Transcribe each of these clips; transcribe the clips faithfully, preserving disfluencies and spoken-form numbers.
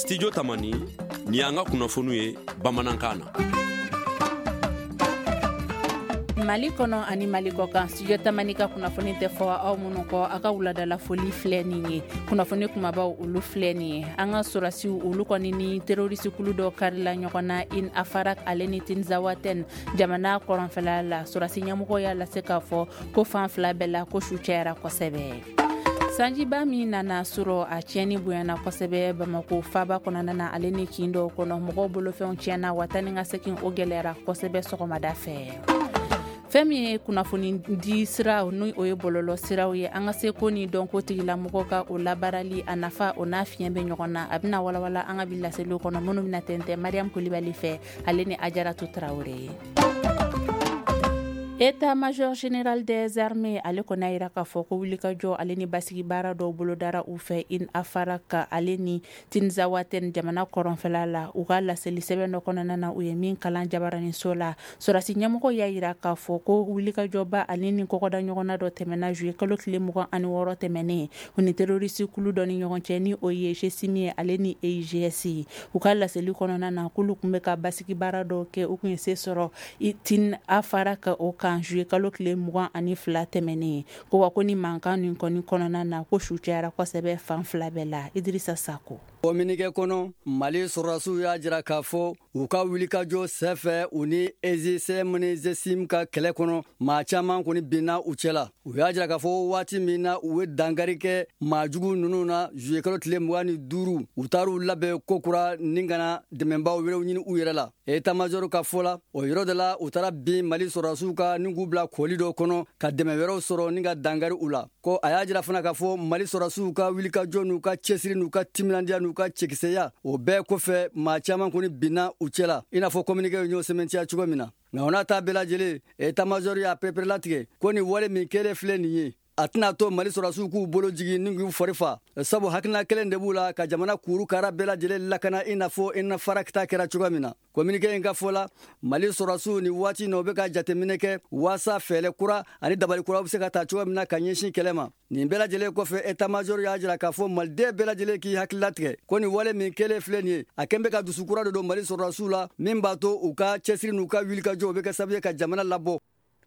Studio Tamani, ni y'an ka kunnafoniw ye bamanankan na. Mali kɔnɔ ani Mali kɔ kan, Studio Tamani ka kunnafoni tɛ fɔ aw minnu kɔ, a ka wuladala foli filɛ nin ye. Kunnafoni kumabaw, olu filɛ nin ye. An ka sɔrɔdasiw, olu kɔni ni terroriste kulu dɔ karila ɲɔgɔn na In Afarak ale ni Tinzawaten jamana kɔrɔnfɛla la. Sɔrɔdasi ɲɛmɔgɔ y'a lase k'a fɔ ko fan fila bɛɛ la, ko su cayara kosɛbɛ. Sanjiba min nana sɔrɔ, a tiɲɛni bonyana kosɛbɛ Bamako faba kɔnɔna na ale ni kin dɔw kɔnɔ. Mɔgɔw bolofɛnw tiɲɛna wa taa ni ka segin o gɛlɛyara kosɛbɛ sɔgɔmada fɛ. Fɛn min ye kunnafoni di siraw, ni o ye bɔlɔlɔ siraw ye, an ka seko ni dɔnko tigilamɔgɔw ka o labaarali, a nafa o n'a fiɲɛ bɛ ɲɔgɔn na, a bɛna walawala an ka bi laseliw kɔnɔ, minnu bɛna tɛntɛn Mariam Kulibali fɛ, ale ni Ajaratu Tarawele ye. État-major général des armées, ale kɔni y'a yira k'a fɔ ko wulikajɔ ale ni basigi baara dɔw bolodara u fɛ In Afarak ale ni Tinzawaten jamana kɔrɔnfɛla la. U ka laseli sɛbɛn dɔ kɔnɔna na, u ye min kalan jabaraninso la, sɔrɔdasi ɲɛmɔgɔ y'a yira k'a fɔ ko wulikajɔba ale ni kɔkɔda ɲɔgɔnna dɔ tɛmɛna juillet kalo tile mugan ani wɔɔrɔ tɛmɛnen, u ni terroriste kulu dɔ ni ɲɔgɔn cɛ, ni o ye G S I M ye ale ni E I G S. U ka laseli kɔnɔna na, k'olu tun bɛ ka basigi baara dɔw kɛ, u tun ye se sɔrɔ Tin Afarak o kan juillet kalo tile mugan ani fila tɛmɛnen. Ko wa ko ni mankan nin kɔni kɔnɔna na, ko su cayara kosɛbɛ fan fila bɛɛ la. Idirisa Sako. Communiqué kɔnɔ, Mali sɔrɔdasiw y'a jira k'a fɔ u ka wulikajɔ sɛfɛ, u ni E G S M ni G S I M ka kɛlɛ kɔnɔ, maa caman kɔni binna u cɛ la. U y'a jira k'a fɔ waati min na u ye dankari kɛ maa jugu ninnu na juillet kalo tile mugan ni duuru, u taar'u labɛn kokura ni ka na dɛmɛbaw wɛrɛw ɲini u yɛrɛ la. État major ka fɔ la, o yɔrɔ de la u taara bin Mali sɔrɔdasiw ka ni k'u bila kɔli dɔ kɔnɔ ka dɛmɛ wɛrɛw sɔrɔ ni ka dankari u la. Ko a y'a jira fana k'a fɔ Mali sɔrɔdasiw ka wulikajɔ n'u ka cɛsiri n'u ka timinandiya n'u ka cɛkisɛya, o bɛɛ kɔfɛ, maa caman kɔni binna u cɛ la, i n'a fɔ communiqué y'o sɛmɛntiya cogo min na. Nka o n'a ta bɛɛ lajɛlen, état major y'a pereperelatigɛ ko nin wale min kɛlen filɛ nin ye, a tɛna to Mali sɔrɔdasiw k'u bolo jigin ni k'u fari fa, sabu hakilina kelen de b'u la ka jamana kuru kara bɛɛ lajɛlen lakana, i n'a fɔ i na farakita kɛra cogo min na. Communiqué in ka fɔ la, Mali sɔrɔdasiw ni waati na, u bɛ ka jateminɛ kɛ waasa fɛɛrɛ kura ani dabali kura bɛ se ka ta cogo min na ka ɲɛsin kɛlɛ ma. Nin bɛɛ lajɛlen kɔfɛ, état major y'a jira k'a fɔ maliden bɛɛ lajɛlen k'i hakili latigɛ ko nin wale min kɛlen filɛ nin ye, a kɛn bɛ ka dusu kura de don Mali sɔrɔdasiw la, min b'a to u ka cɛsiri n'u ka wulikajɔ, u bɛ kɛ sababu ye ka jamana labɔ.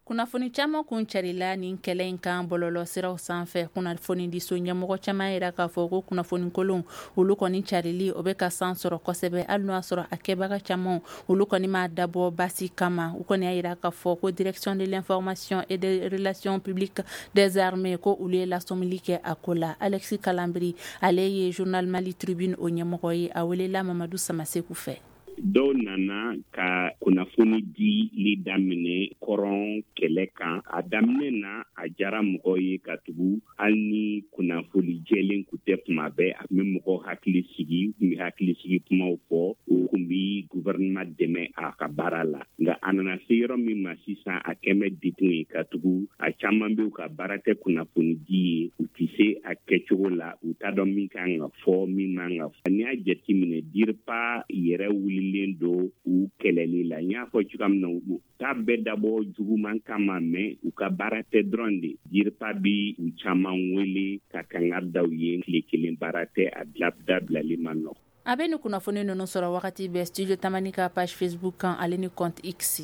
Kunnafoni caman kun carila nin kɛlɛ in kan bɔlɔlɔ siraw sanfɛ. Kunnafoni diso ɲɛmɔgɔ caman yira k'a fɔ ko kunnafoni kolon, olu kɔni carili, o bɛ ka san sɔrɔ kosɛbɛ, hali n'o y'a sɔrɔ a kɛbaga caman, olu kɔni m'a dabɔ basi kama. U kɔni y'a yira k'a fɔ ko Direction de l'information et des relations publiques des armées, ko olu ye lasɔmili kɛ a ko la. Alexis Kalambry, ale ye journal Mali Tribune o ɲɛmɔgɔ ye, a welela Mamadu Samaseku fɛ. Dɔw nana ka kunnafoni dili daminɛ kɔrɔn kɛlɛ kan. A daminɛ na, a diyara mɔgɔw ye, ka tugu hali ni kunnafoni jɛlen kun tɛ tuma bɛɛ, a tun bɛ mɔgɔw hakili sigi, u tun bɛ hakili sigi kumaw fɔ, u tun bɛ gouvernement dɛmɛ a ka baara la. Nka a nana se yɔrɔ min ma sisan, a kɛn bɛ degun ye, ka tugu a caman bɛ u ka baara tɛ kunnafoni di ye, u tɛ se a kɛcogo la, u t'a dɔn min kan ka fɔ, min man ka fɔ. N'i y'a jateminɛ, DIRPA yɛrɛ wulilen don u kɛlɛli la. N y'a fɔ cogoya min na, u t'a bɛɛ dabɔ juguman kama, mais u ka baara tɛ dɔrɔn de. DIRPA bi u caman wele ka kangari da u ye. Tile kelen baara tɛ, a dabilali man nɔgɔn. A bɛ ni kunnafoni ninnu sɔrɔ wagati bɛɛ Studio Tamani ka page Facebook kan ale ni compte X.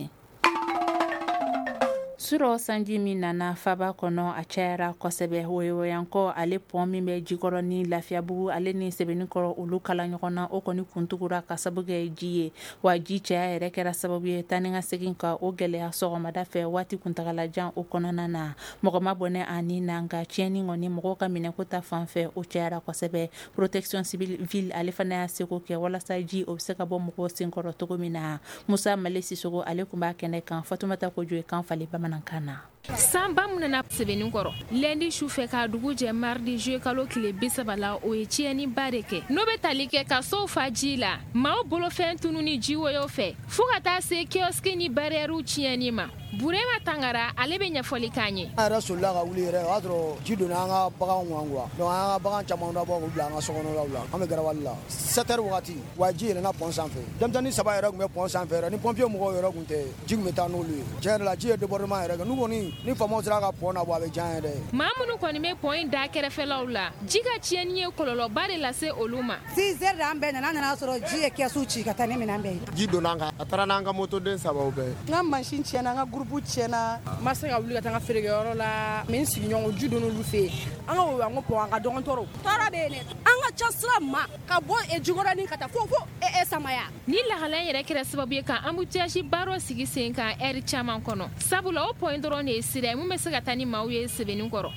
Surɔ, sanji min nana faba kɔnɔ, a cayara kosɛbɛ. Woyowoyankɔ ale pont min bɛ Jikɔrɔ ni Lafiyabugu ale ni Sɛbɛnnikɔrɔ, olu kala ɲɔgɔn na, o kɔni kuntugura ka sababu kɛ ji ye. Wa ji caya yɛrɛ kɛra sababu ye taa ni ka segin ka o gɛlɛya sɔgɔmada fɛ waati kuntagalajan o kɔnɔna na. Mɔgɔ ma bɔnɛ a ni na, nka tiɲɛni kɔni, mɔgɔw ka minɛko ta fan fɛ, o cayara kosɛbɛ. Protection civile, ale fana y'a seko kɛ walasa ji o bɛ se ka bɔ mɔgɔw senkɔrɔ cogo min na. Musa Male Sisogo, ale tun b'a kɛnɛ kan. Fatumata Kojo ye kan falen bamanankan na. Sanba min nana sɛbɛnni kɔrɔ lundi su fɛ k'a dugu jɛ mardi juillet kalo tile bi saba la, o ye tiɲɛniba de kɛ, n'o bɛ tali kɛ ka sow fa ji la, maaw bolofɛn tunu ni jiwoyo fɛ, fɔɔ ka taa se kiosque ni barrièrew tiɲɛni ma. Burema Tangara, ale bɛ ɲɛfɔli k'an ye. An yɛrɛ solila ka wuli yɛrɛ, o y'a sɔrɔ ji donna an ka baganw kan quoi. Donc an ka bagan caman dabɔ k'u bila an ka sokɔnɔlaw la. An bɛ garawali la sept heures wagati wa, ji yɛlɛnna pont sanfɛ. Denmisɛnnin saba yɛrɛ tun bɛ pont sanfɛ yɛrɛ. Ni pompier mɔgɔw yɛrɛ tun tɛ, ji tun bɛ taa n'olu ye. Tiɲɛ yɛrɛ la, ji ye débordement yɛrɛ kɛ. N'u kɔni kɔni, ni faamaw sera ka pont nabɔ, a bɛ diya an ye dɛ. Maa minnu kɔni bɛ pont in da kɛrɛfɛlaw la, ji ka tiɲɛni ye kɔlɔlɔba de lase olu ma. six heures de an bɛɛ nana, an nana sɔrɔ ji ye kɛsu ci ka taa ni minɛn bɛɛ ye. Ji donna an kan, a taara n'an ka motoden sabaw bɛɛ ye. N ka mansin tiɲɛna, n ka groupe tiɲɛna. N ma se ka wuli ka taa n ka feerekɛyɔrɔ la, mais n sigiɲɔgɔnw ji donna olu fɛ yen. An ka o an ko pont an ka dɔgɔn tɔɔrɔ. Tɔɔrɔ bɛ yen dɛ. An ka ca sira ma ka bɔ Jikɔrɔni ka taa fo fo Samaya. Ni lahala in yɛrɛ kɛra sababu ye ka embouteillage ba dɔ sigi sen kan ɛri caman kɔnɔ, sabula o pont in dɔrɔn de ye sira ye mun bɛ se ka taa ni maaw ye Sebenikɔrɔ.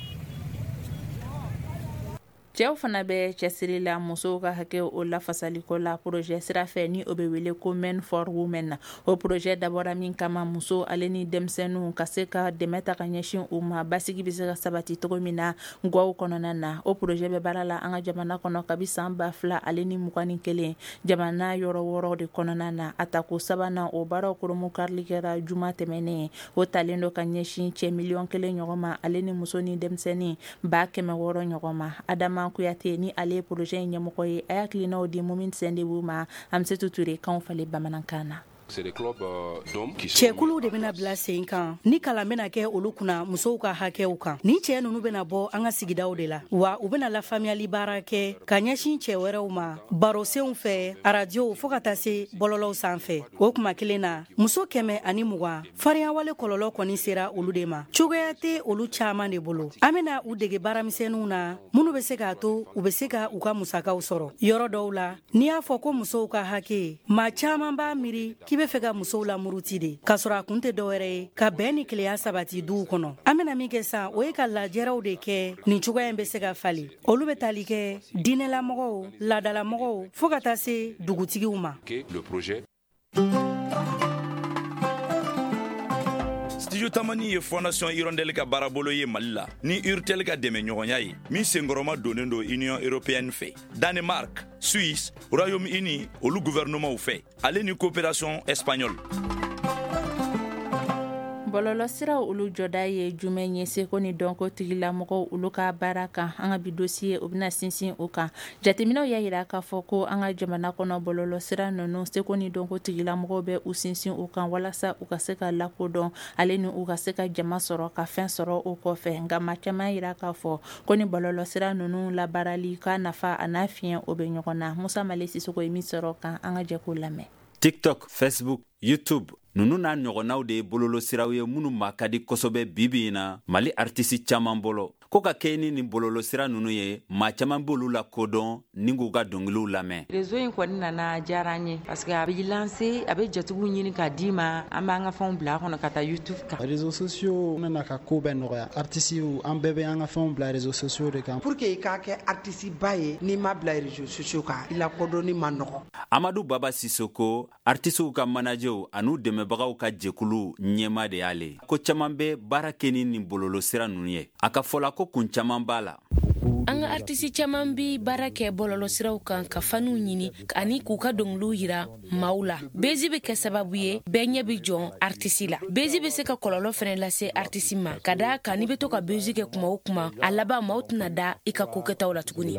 Cɛw fana bɛ cɛsiri la musow ka hakɛ o lafasaliko la projet sira fɛ, ni o bɛ wele ko Men for Women na. O projet dabɔra min kama, muso ale ni denmisɛnninw ka se ka dɛmɛ ta ka ɲɛsin u ma, basigi bɛ se ka sabati cogo min na gwaw kɔnɔna na. O projet bɛ baara la an ka jamana kɔnɔ kabi san ba fila ale ni mugan ni kelen, jamana yɔrɔ wɔɔrɔ de kɔnɔna na. A tako sabanan o baaraw koromu karili kɛra juma tɛmɛnen. O talen don ka ɲɛsin cɛ miliyɔn kelen ɲɔgɔn ma ale ni muso ni denmisɛnnin ba kɛmɛ wɔɔrɔ ɲɔgɔn ma. Adama Kuyate ni ale projet in ɲɛmɔgɔ ye, a y'a hakilinaw di Mumin Sendebu ma Amsetu Ture kanw falen bamanankan na. Cɛkuluw de bɛna bila sen kan ni kalan bɛna kɛ olu kunna musow ka hakɛw kan. Ni cɛ ninnu bɛna bɔ an ka sigidaw de la, wa u bɛna lafaamuyali baara kɛ ka ɲɛsin cɛ wɛrɛw ma barosenw fɛ, arajow fo ka taa se bɔlɔlɔw sanfɛ. O kuma kelen na, muso kɛmɛ ani mugan farinyawale kɔlɔlɔ kɔni sera olu de ma. Cogoya tɛ olu caman de bolo. An bɛna u dege baaramisɛnninw na minnu bɛ se k'a to u bɛ se ka u ka musakaw sɔrɔ. Yɔrɔ dɔw la, n'i y'a fɔ ko musow ka hakɛ, maa caman b'a miiri k'i bɛ fɛ ka musow lamuruti de, k'a sɔrɔ a kun tɛ dɔwɛrɛ ye ka bɛn ni keleya sabati duw kɔnɔ. An bɛna min kɛ san, o ye ka lajɛrɛw de kɛ nin cogoya in bɛ se ka falen. Olu bɛ tali kɛ diinɛlamɔgɔw, laadalamɔgɔw fo ka taa se dugutigiw ma. Studio Tamani ye Fondation Hirondelle ka baarabolo ye Mali la ni Urtel ka dɛmɛɲɔgɔnya ye min senkɔrɔma donnen don Union européenne fɛ, Danemark, Suisse, Royaume-Uni olu gouvernementw fɛ, ale ni coopération espagnole. Bɔlɔlɔsiraw olu jɔda ye jumɛn ye seko ni dɔnko tigilamɔgɔw olu ka baara kan? An ka bi dossier o bɛna sinsin o kan. Jateminɛw y'a yira k'a fɔ ko an ka jamana kɔnɔ bɔlɔlɔsira ninnu, seko ni dɔnko tigilamɔgɔw bɛ u sinsin o kan walasa u ka se ka lakodɔn ale ni u ka se ka jama sɔrɔ ka fɛn sɔrɔ o kɔfɛ. Nka maa caman yira k'a fɔ ko ni bɔlɔlɔsira ninnu labaarali ka nafa a n'a fiɲɛ o bɛ ɲɔgɔn na. Musa Male Sisoko ye min sɔrɔ kan, an ka jɛ k'o lamɛn. TikTok, Facebook, YouTube ninnu n'a ɲɔgɔnnaw de ye bololosiraw ye minnu ma ka di kosɛbɛ bibi in na Mali artisi caman bolo. Ko ka kɛ ni nin bololosira ninnu ye, maa caman b'olu la kodɔn ni k'u ka dɔnkiliw lamɛn. Réseau in kɔni nana diyara an ye parce que a bɛ lancer, a bɛ jatigiw ɲini k'a d'i ma, an b'an ka fɛnw bila a kɔnɔ ka taa YouTube kan. Réseaux sociaux nana ka ko bɛɛ nɔgɔya. Artisiw an bɛɛ bɛ an ka fɛnw bila réseaux sociaux de kan. Pour que i k'a kɛ artiste ba ye, n'i ma bila réseaux sociaux kan, i lakodɔnni ma nɔgɔn. Amadu Baba Sisoko, artisiw ka managerw an'u dɛmɛbagaw ka jɛkulu ɲɛma de y'ale. Ko caman bɛ baara kɛ ni nin bololosira ninnu ye. A ka fɔ la ko kun caman b'a la. An ka artisi caman bi baara kɛ bɔlɔlɔsiraw kan ka faniw ɲini ani k'u ka dɔnkiliw yira maaw la. Bezi bɛ kɛ sababu ye bɛɛ ɲɛ bɛ jɔn artisi la. Bezi bɛ se ka kɔlɔlɔ fɛnɛ lase artisi ma, ka d'a kan n'i bɛ to ka bezi kɛ kuma o kuma, a laban maaw tɛna da i ka kokɛtaw la tuguni.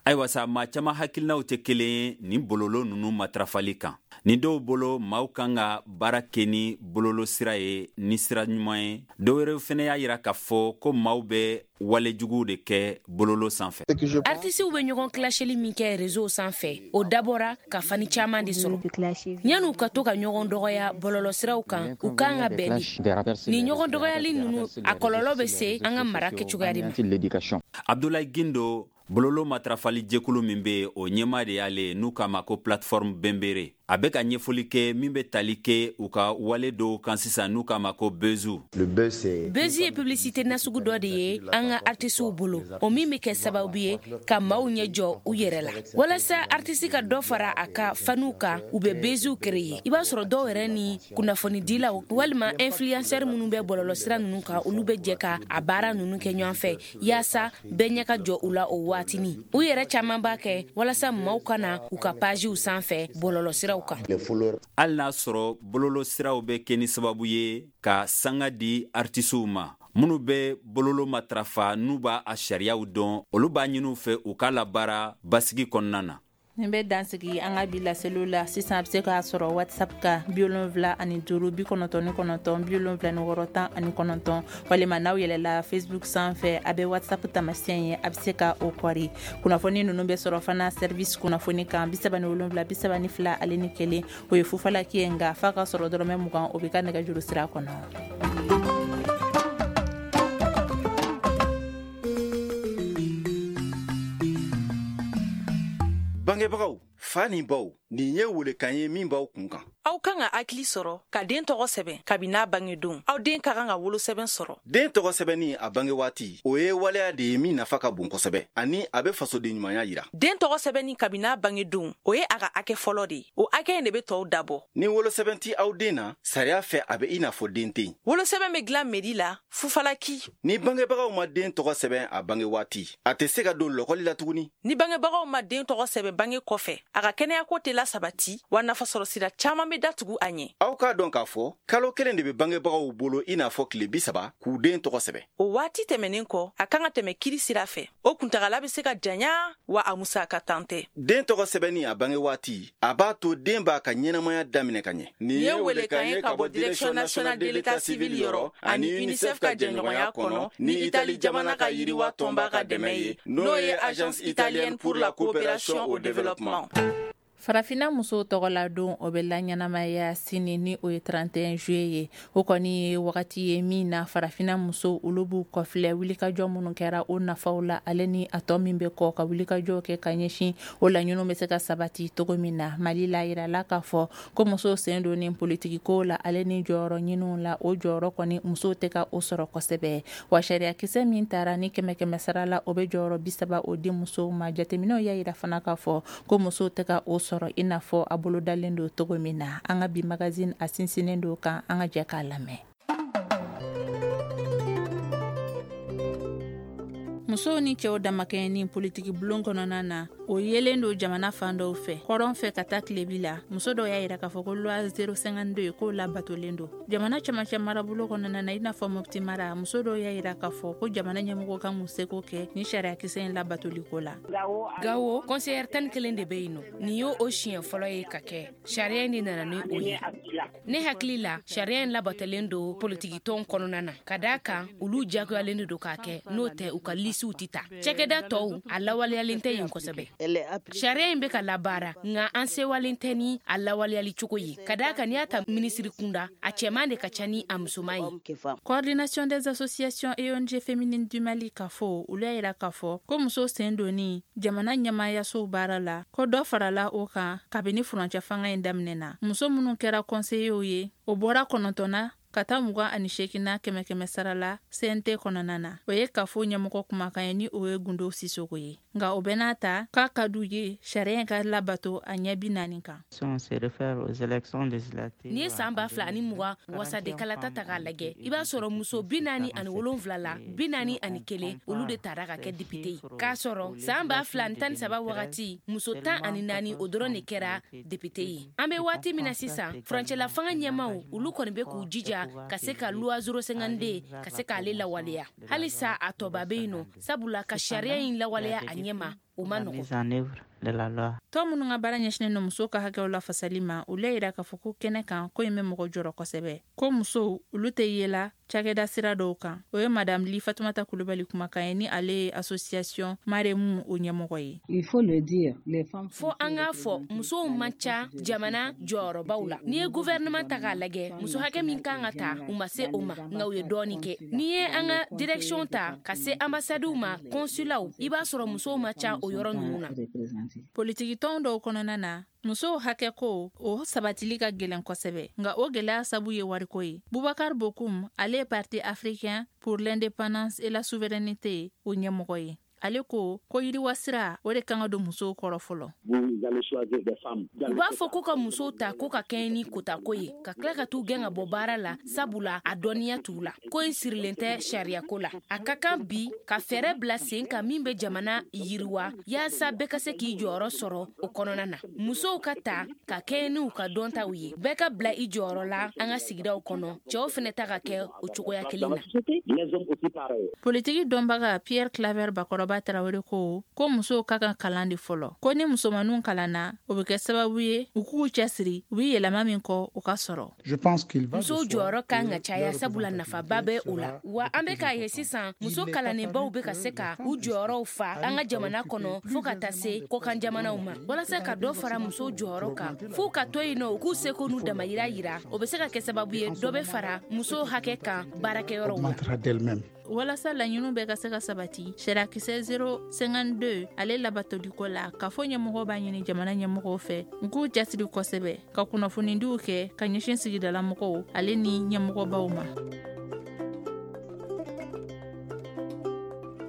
Ayiwa sa, maa caman hakilinaw tɛ kelen ye nin bololo ninnu matarafali kan. Ni dɔw bolo, maaw kan ka baara kɛ ni bololosira ye ni sira ɲuman ye. Dɔw wɛrɛw fɛnɛ y'a yira k'a fɔ ko maaw bɛ walejuguw de kɛ bololo sanfɛ. Artisiw bɛ ɲɔgɔn kilasheli min kɛ réseau sanfɛ, o dabɔra ka fani caman de sɔrɔ. Yan'u ka to ka ɲɔgɔn dɔgɔya bɔlɔlɔsiraw kan, u kan ka bɛn de. Nin ɲɔgɔn dɔgɔyali ninnu, a kɔlɔlɔ bɛ se an ka mara kɛcogoya de ma. Abdoulaye Gindo, bololo matarafali jɛkulu min bɛ o ɲɛmaa de y'ale, n'u k'a ma ko plateforme Bembere. A bɛ ka ɲɛfɔli kɛ min bɛ tali kɛ u ka wale dɔw kan sisan n'u k'a ma ko buzz. Buzz ye publicité nasugu dɔ de ye an ka artisiw bolo, o min bɛ kɛ sababu ye ka maaw ɲɛ jɔ u yɛrɛ la. Walasa artisi ka dɔ fara a ka faniw kan, u bɛ buzz créer. I b'a sɔrɔ dɔw yɛrɛ ni kunnafonidilaw walima influenceur minnu bɛ bɔlɔlɔsira ninnu kan, olu bɛ jɛ ka a baara ninnu kɛ ɲɔgɔn fɛ yaasa bɛɛ ɲɛ ka jɔ u la o waatinin. U yɛrɛ caman b'a kɛ walasa maaw kana u ka pagew sanfɛ bɔlɔlɔsiraw kan. Hali n'a sɔrɔ bololosiraw bɛ kɛ ni sababu ye ka sanga di artisiw ma minnu bɛ bololo matarafa n'u b'a a sariyaw dɔn, olu b'a ɲini u fɛ u k'a labaara basigi kɔnɔna na. Nin bɛ dansigi an ka bi laseliw la. Sisan a bɛ se k'a sɔrɔ WhatsApp kan bi wolonwula ani duuru bi kɔnɔntɔn ni kɔnɔntɔn bi wolonwula ni wɔɔrɔ tan ani kɔnɔntɔn, walima n'aw yɛlɛla Facebook sanfɛ, a bɛ WhatsApp taamasiyɛn ye, a bɛ se ka o kɔri. Kunnafoni ninnu bɛ sɔrɔ fana service kunnafoni kan bi saba ni wolonwula bi saba ni fila ale ni kelen, o ye fufalaki ye, nka f'a ka sɔrɔ dɔrɔmɛ mugan, o bɛ ka nɛgɛjuru sira kɔnɔ. Bangebagaw, fa ni baw, nin ye welekan ye min b'aw kun kan. Aw kan ka hakili sɔrɔ ka den tɔgɔ sɛbɛn kabini n'a bangedon. Aw den ka kan ka wolosɛbɛn sɔrɔ. Den tɔgɔ sɛbɛnni a bange waati, o ye waleya de ye min nafa ka bon kosɛbɛ, ani a bɛ fasoden ɲumanya yira. Den tɔgɔ sɛbɛnni kabini n'a bangedon, o ye a ka hakɛ fɔlɔ de ye. O hakɛ in de bɛ tɔw dabɔ. Ni wolosɛbɛn ti aw den na, sariya fɛ a bɛ i n'a fɔ den tɛ yen. Wolosɛbɛn bɛ dilan mairie la, fufalaki. Ni bangebagaw ma den tɔgɔ sɛbɛn a bange waati, a tɛ se ka don lɔkɔli la tuguni. Ni bangebagaw ma den tɔgɔ sɛbɛn bange kɔfɛ, a ka kɛnɛyako tɛ lasabati, wa nafasɔrɔ sira caman bɛ datugu a ɲɛ. Aw k'a dɔn k'a fɔ kalo kelen de bɛ bangebagaw bolo i n'a fɔ tile bi saba k'u den tɔgɔ sɛbɛn. O waati tɛmɛnen kɔ, a kan ka tɛmɛ kiri sira fɛ. O kuntagala bɛ se ka janya, wa a musaka tan tɛ. Den tɔgɔ sɛbɛnni a bange waati, a b'a to den b'a ka ɲɛnamaya daminɛ ka ɲɛ. Nin ye welekan ye ka bɔ Direction nationale de l'état civil yɔrɔ ani UNICEF ka jɛɲɔgɔnya kɔnɔ ni Itali jamana ka yiriwa tɔnba ka dɛmɛ ye, n'o ye Agence italienne pour la coopération au développement. Farafinna musow tɔgɔla don, o bɛ laɲɛnamaya sini ni o ye trente et un juillet ye. O kɔni ye wagati ye min na farafinna musow olu b'u kɔfilɛ wulikajɔ minnu kɛra o nafaw la, ale ni a tɔ min bɛ kɔ ka wulikajɔ kɛ ka ɲɛsin o laɲiniw bɛ se ka sabati cogo min na. Mali la, yirala k'a fɔ ko musow sen don ni politikiko la ale ni jɔyɔrɔ ɲiniw la, o jɔyɔrɔ kɔni musow tɛ ka o sɔrɔ kosɛbɛ. Wa sariyakisɛ min taara ni kɛmɛ kɛmɛ sara la, o bɛ jɔyɔrɔ bi saba o di musow ma. Jateminɛw y'a yira fana k'a fɔ ko musow tɛ ka o sɔrɔ i n'a fɔ a bolo dalen don cogo min na. An ka bi magazine a sinsinnen don kan, an ka jɛ k'a lamɛn. Musow ni cɛw damakɛɲɛni politiki bulon kɔnɔna na, o yelen don jamana fan dɔw fɛ, kɔrɔn fɛ ka taa tilebi la. Muso dɔw y'a yira k'a fɔ ko loi zéro cinquante-deux k'o labatolen don jamana cɛmancɛ marabolo kɔnɔna na, i n'a fɔ Mopti mara. Muso dɔw y'a yira k'a fɔ ko jamana ɲɛmɔgɔ kan k'u seko kɛ ni sariyakisɛ in labatoliko la. Gawo, conseillère tan ni kelen de bɛ yen nɔ. Nin y'o o siɲɛ fɔlɔ ye ka kɛ. Sariya in de nana ni o ye. Ne hakili la, sariya in labatolen don politikitɔn kɔnɔna na, ka d'a kan olu diyagoyalen de don k'a kɛ, n'o tɛ u ka lisiw tɛ ta. Cakɛda tɔw a lawaleyalen tɛ yen kosɛbɛ. Sariya in bɛ ka labaara, nka an sewalen tɛ ni a lawaleyali cogo ye, ka d'a kan n'i y'a ta minisiri kunda, a cɛman de ka ca ni a musoman ye. Coordination des associations et O N G féminines du Mali k'a fɔ, olu y'a yira k'a fɔ ko muso sen donni jamana ɲɛmaayasow baara la, ko dɔ farala o kan kabini furancɛ fanga in daminɛna. Muso minnu kɛra conseillers ye, o bɔra kɔnɔntɔnna ka taa mugan ani seeginna kɛmɛ kɛmɛ sara la C N T kɔnɔna na. O ye kafo ɲɛmɔgɔ kumakan ye ni o ye Gundo Sisoko ye. Nka o bɛɛ n'a ta, k'a ka d'u ye sariya in ka labato a ɲɛ bi naani kan. N'i ye san ba fila ani mugan wasadenkalata ta k'a lajɛ, i b'a sɔrɔ muso bi naani ani wolonwula la, bi naani ani kelen olu de taara ka kɛ député ye. K'a sɔrɔ san ba fila ani tan ni saba wagati, muso tan ani naani o dɔrɔn de kɛra député ye. An bɛ waati min na sisan, furancɛla fanga ɲɛmaaw olu kɔni bɛ k'u jija ka se ka loi zéro cinquante-deux ka se k'ale lawaleya. Halisa a tɔba bɛ yen nɔ, sabula ka sariya in lawaleya a ɲɛma, o ma nɔgɔn. Tɔn minnu ka baara ɲɛsinnen don musow ka hakɛw lafasali ma, olu y'a yira k'a fɔ ko kɛnɛ kan ko in bɛ mɔgɔ jɔrɔ kosɛbɛ, ko musow olu tɛ yela cakɛda sira dɔw kan. O ye madame Li Fatumata Kulubali kumakan ye ni ale ye association Maremu o ɲɛmɔgɔ ye. Fo an k'a fɔ, musow man ca jamana jɔyɔrɔbaw la. N'i ye gouvernement ta k'a lajɛ, muso hakɛ min kan ka ta, u ma se o ma, nka u ye dɔɔnin kɛ. N'i ye an ka direction ta ka se ambassadew ma, consulatw, i b'a sɔrɔ musow man ca o yɔrɔ ninnu na. Politikitɔn dɔw kɔnɔna na, musow hakɛ ko o sabatili ka gɛlɛn kosɛbɛ, nka o gɛlɛya sabu ye wariko ye. Bubakar Bokum, ale ye Parti africain pour l'indépendance et la souveraineté o ɲɛmɔgɔ ye. Ale ko ko yiriwa sira o de kan ka don musow kɔrɔ fɔlɔ. U b'a fɔ ko ka musow ta ko ka kɛɲɛ ni kotako ye, ka tila ka t'u gɛn ka bɔ baara la, sabula a dɔnniya t'u la. Ko in sirilen tɛ sariyako la. A ka kan bi ka fɛɛrɛ bila sen kan min bɛ jamana yiriwa, yaasa bɛɛ ka se k'i jɔyɔrɔ sɔrɔ o kɔnɔna na. Musow ka ta ka kɛɲɛ n'u ka dɔntaw ye, bɛɛ ka bila i jɔyɔrɔ la an ka sigidaw kɔnɔ, cɛw fɛnɛ ta ka kɛ o cogoya kelen na. Politiki dɔnbaga Pierre Claver Bakɔrɔba Kaba Tarawele ko ko musow ka kan kalan de fɔlɔ, ko ni musomaninw kalanna, o bɛ kɛ sababu ye u k'u cɛsiri, u bɛ yɛlɛma min kɔ o ka sɔrɔ. Musow jɔyɔrɔ kan ka caya, sabula nafaba bɛ o la. Wa an bɛ k'a ye sisan, muso kalannenbaw bɛ ka se ka u jɔyɔrɔw fa an ka jamana kɔnɔ fo ka taa se kɔkan jamanaw ma. Walasa ka dɔ fara musow jɔyɔrɔ kan, f'u ka to yen nɔ, u k'u seko n'u damayira yira. O bɛ se ka kɛ sababu ye dɔ bɛ fara musow hakɛ kan baarakɛyɔrɔw la. Walasa laɲiniw bɛɛ ka se ka sabati, sariyakisɛ zéro cinquante-deux ale labatoliko la, kafo ɲɛmɔgɔw b'a ɲini jamana ɲɛmɔgɔw fɛ u k'u cɛsiri kosɛbɛ ka kunnafonidiw kɛ ka ɲɛsin sigidalamɔgɔw ale ni ɲɛmɔgɔbaw ma.